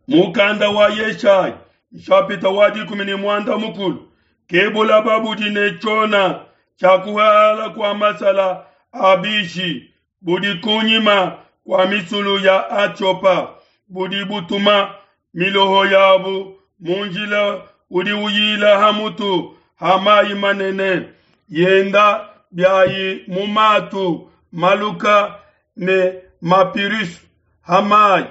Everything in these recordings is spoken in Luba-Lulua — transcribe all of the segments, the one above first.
Mukanda wa Yeshaya nshapita wa 14 ke bulaba budi ne tshiona tshia kuhala kua masala a bishi budi kunyima kua misulu ya Atiopa budi butuma miloho yabu mu njila udi uyila ha mutu ha mayi manene yenda biayi mu matu maluka ne mapirus ha mayi.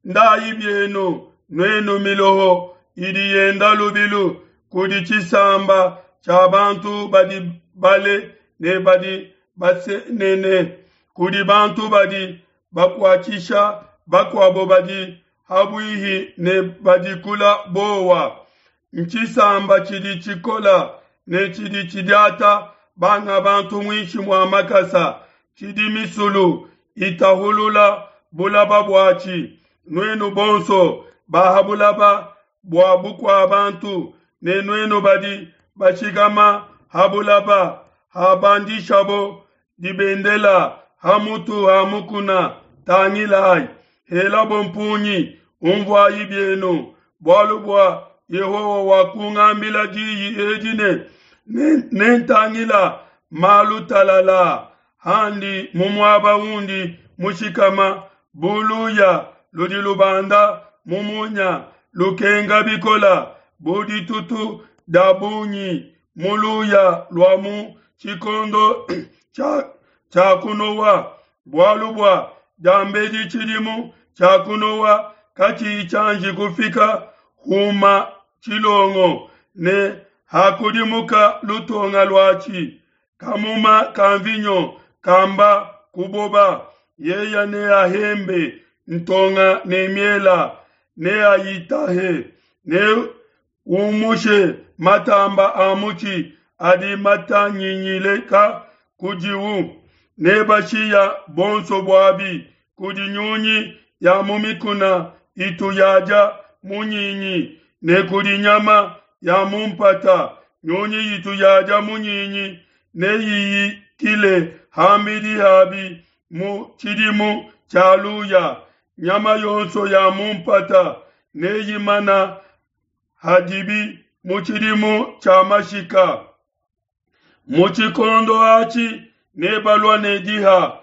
Ndayi bienu nuenu miloho idi yenda lubilu kudi tshisamba tshia bantu badi bale ne badi basenene, kudi bantu badi bakuatshisha bakuabo badi habuihi ne badi kula bowa. Ntshisamba tshidi tshikola ne tshidi tshidiata banga bantu muinshi mua makasa, tshidi misulu itahulula bulaba buatshi. Nuenu bonso ba ha bulaba bua bukua bantu, ne nuenu badi bashikama ha bulaba, habandishabo dibendela ha mutu ha mukuna, tangilayi, helabo mpungi, unvuayi bienu, bualu bua Yehowa wakungambila diyi edi ne, Nentangila malu talala handi mu muaba undi mushikama, bu luya ludi lubanda mu munya lukenga bikola, bu ditutu dia bungi mu luya lua mu tshikondo tshia kunowa. Bualu bua diambedi tshidimu tshia kunowa katshiyi tshianji kufika, huma tshilongo ne hakudimuka lutonga luatshi, kamuma ka mvinyo kamba kuboba, yeya neahembe ntonga ne miela, neayitahe, ne umushe matamba a mutshi adi matanyinyileka kudiwu, nebashiya bonso buabi kudi nyunyi ya mu mikuna itu yadia munyinyi, ne kudi nyama ya mu mpata. Nyunyi itu yadia munyinyi neyiyikile ham'bidi habi mu tshidimu tshia luya. Nyama yonso ya mu mpata neyimana hadibi mu tshidimu tshia mashika. Mu tshikondo atshi nebalua ne diha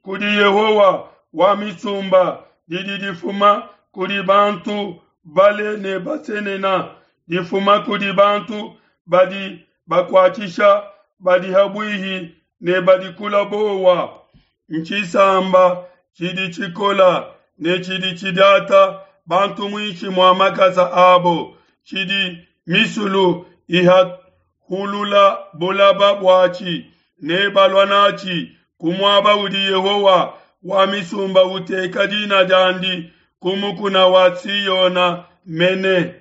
kudi Yehowa wa misumba didi difuma kudi bantu bale ne basenena, difuma kudi bantu badi bakuatshisha badi habuihi ne badi kula bowa. Ntshisamba tshidi tshikola ne tshidi tshidiata bantu muinshi mua makasa abo, tshidi misulu ihahulula bulaba buatshi, nebalua natshi ku muaba udi Yehowa wa misumba uteka dina diandi, ku mukuna wa Siona mene.